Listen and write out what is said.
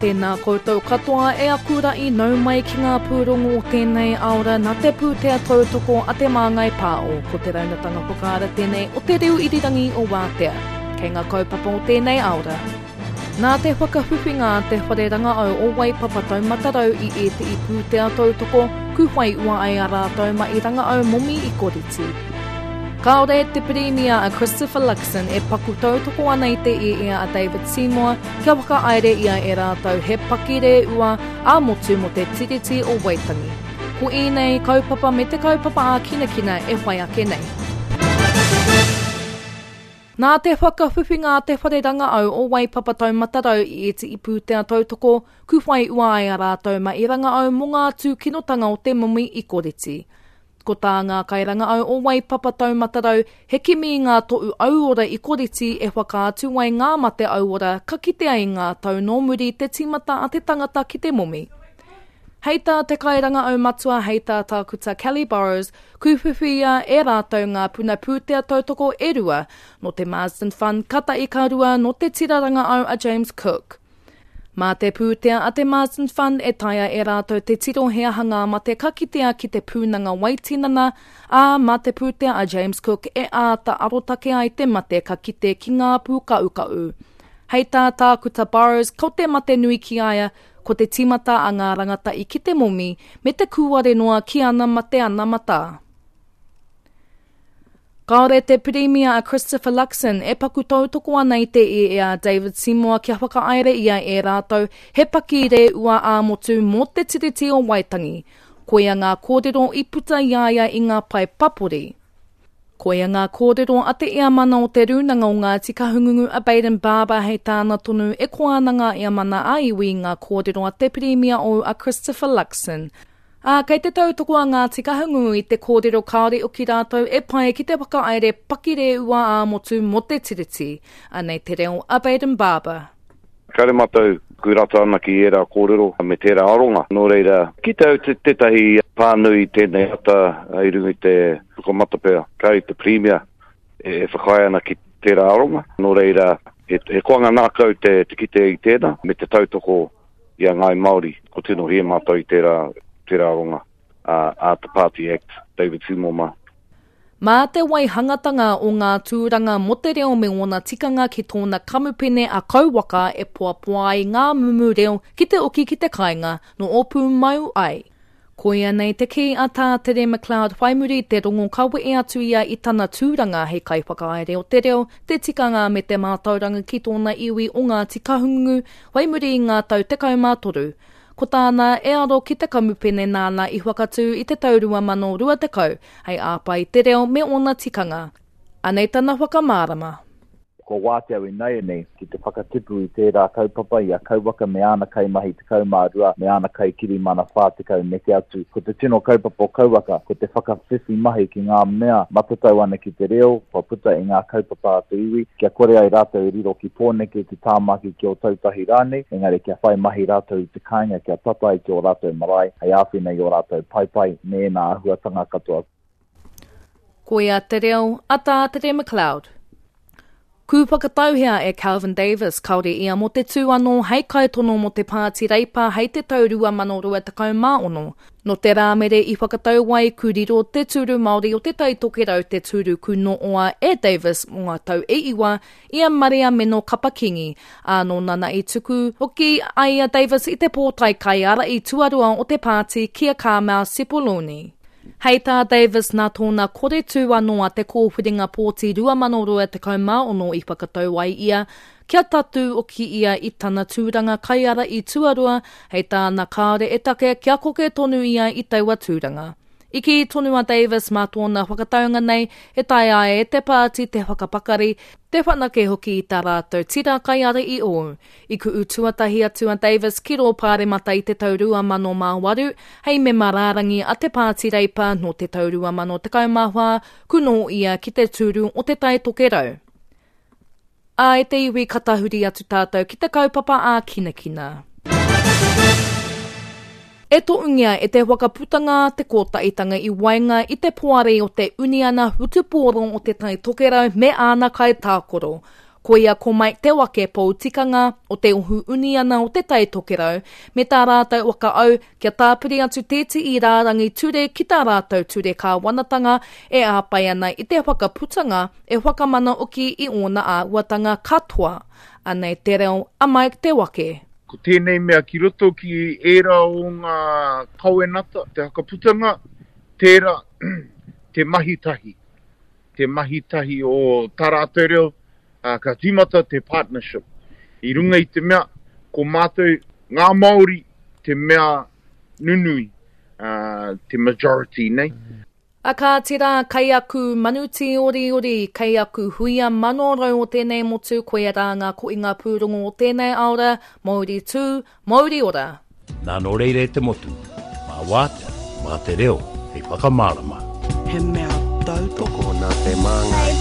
Tēnā koutou katoa e aku ra'i nau mai ki ngā pūrongo o tēnei aora nā te pūtea tautoko a Te Māngai Pāo, ko te raunatanga whakaara tēnei o te reo irirangi o Wātea. Kei ngā kaupapa o tēnei aora. Nā te whakawhiwhinga a te Whare Rangaau o Waipapa Taumata Rau i ētehi pūtea tautoko, ku whai ua ai a rātou ma i rangaau momi i Koriti. Kāore te Pirimia a Christopher Luxon e paku tautoko ana i te ieia a David Seymour kia whakahaere ia e rātou he pakirehua ā-motu mō te Tiriti o Waitangi. Ko ēnei kaupapa me te kaupapa ākinakina e whai ake nei. Nā te whakawhiwhinga a Te Whare Rangaau o Waipapa Taumata Rau i ētehi pūtea tautoko, ku whai ua ai a rātou ma i rangaau mō ngā tūkinotanga o te momi i Koreti. Ko tā ngā kairangaau o Waipapa Taumata Rau he kimi i ngā tohu auora i Koreti e whakaatu ai ngā mate auora ka kitea i ngā tau nō muri te tīmata a te tangata ki te momi. Hei tā te kairangaau matua hei tā Tākuta Kelly Burrows, kūwhiwhia e rātou ngā puna pūtea tautoko e rua, nō te Marsden Fund ka tahi ka rua nō te tira rangaau a James Cook. Mā te pūtea a te Marsden Fund e taea e rātou te tiro he aha ngā mate ka kitea ki te pūnanga waitinana, ā, mā te pūtea a James Cook e āta arotake ai te mate ka kite ki ngā pūkahukahu. Hei tā Tākuta Burrows, ko te mate nui ki a ia, Ko te tīmata a ngā rangatahi ki te momi me te kūare noa ki ana mate anamata. Kāore te Pirimia a Christopher Luxon e paku tautoko ana i te ieia a David Seymour kia whakahaere ia e rātou he pakirehua ā-motu mō te Tiriti o Waitangi. Koia ngā kōrero i puta i a ia i ngā pae papori. Koia ngā kōrero a te Eamana o Te Rūnanga o Ngāti Kahungungu a Bayden Barber hei tāna tonu e koa ana ngā Eamana ā-iwi i ngā kōrero a te Pirimia ou a Christopher Luxon. Ā, kei te tautoko a Ngāti Kahungungu i te kōrero kāore oki rātou e pai ki te whakahaere pakirehua ā-motu mō te Tiriti. Anei te reo a Bayden Barber. Kāre mātou ku rata ana ki ērā kōrero me tērā aronga. Nō reira, ki te au tētahi pānui i tēnei ata i runga i te pukamata pea, kāre te Pirimia e whakaae ana ki tērā aronga. Nō reira, he koanga ngākau te kite i tēnā me te tautoko i a Ngāi Māori. Ko tino hē mātou i tērā aronga a te Party Act, David Seymour mā. Mā te waihangatanga o ngā tūranga mō te reo me ōna tikanga ki tōna kamupene a Kauwaka e poapoa ai ngā mumu reo ki te oki ki te kāinga nō Ōpūmau ai. Koia nei te kī a Tā Tere McLeod whai muri i te rongo ka wehe atu ia i tana tūranga hei kaiwhakahaere o te reo, te tikanga me te mātauranga ki tōna iwi o Ngāti Kahungungu whai muri i ngā tau 13. Ko tāna e aro ki te kamupene nāna i whakatū i te tau 2020 hei āpai i te reo me ōna tikanga. Anei tana whakamārama. Kua wātea au inaianei ki te whakatipu i tērā kaupapa i a Kauwaka me āna kaimahi 12 me āna kaikirimana 40 neke atu. Ko te tino kaupapa o Kauwaka, ko te whakawhiwhi mahi ki ngā mea matatau ana ki te reo kua puta i ngā kaupapa a te iwi, kia kore ai rātou e riro ki Pōneke, ki Tāmaki, ki Ōtautahi rānei, engari kia whai mahi rātou i te kāinga kia tata ai ki ō rātou marae hei āwhina i ō rātou paepae me ēnā āhuatanga katoa. Koia te reo a Tā Tere McLeod. Ku whakatauhea e Kelvin Davis kāore ia mō te tū anō hei kaitono mō te Pāti Reipa hei te tau 2026. Nō te Rāmere i whakatau ai ku riro te tūru Māori o Te Tai Tokerau te tūru ku nooa e Davis mō ngā tau e iwa i a Maria Meno Kapa-Kingi, ā, nō nana i tuku hoki ai a Davis i te pōtae kaiārahi tuarua o te pāti ki a Carmel Sepuloni. Hei tā Davis nā tōna kore tū anō a te kōwhiringa pōti 2026 i whakatau ai ia kia tatū oki ia i tana tūranga kaiārahi tuarua, hei tāna kāore e take kia koke tonu ia i taua tūranga. I kī tonu a Davis mā tōna whakataunga nei e taea ai e te pāti te whakapakari, te whanake hoki i tā rātou tira kaiārahi ōu. I ku'u tuatahi atu a Davis ki rō Pāremata i te tau 2008 hei mema rārangi a te Pāti Reipa nō te tau 2014 ku noho ia ki te tūru o Te Tai Tokerau. Ā, e te iwi ka tahuri atu tātou ki te kaupapa ākinakina. E tohungia e te whakaputanga te kōtaitanga i waenga i te poari o te Uniana Whutupōro o Te Tai Tokerau me āna kaitākaro. Koia ko Mike Te Wake pou tikanga o te ohu uniana o Te Tai Tokerau me tā rātou whakaau kia tāpiri atu tētehi rārangi ture ki tā rātou ture kāwanatanga e āpai ana i te whakaputanga e whakamana hoki i ōna āhuatanga katoa. Anei te reo a Mike Te Wake. Ko tēnei mea ki roto ki ērā o ngā kawenata, te whakaputanga, tērā te mahi tahi. te mahi tahi o tā rātou reo, ā, ka tīmata te partnership. I runga i te mea, ko mātou, ngā Māori, te mea nunui, ā, te majority, nei. A kāti rā, kei aku manu tīoriori, kei aku huia manorau o tēnei motu, koia rā ngā kohinga pūrongo o tēnei aora, Mauri tū, Mauri ora! Nā nō reira e te motu, mā Wātea, mā te reo hei whakamārama. He mea tautoko. Tokona te māngai.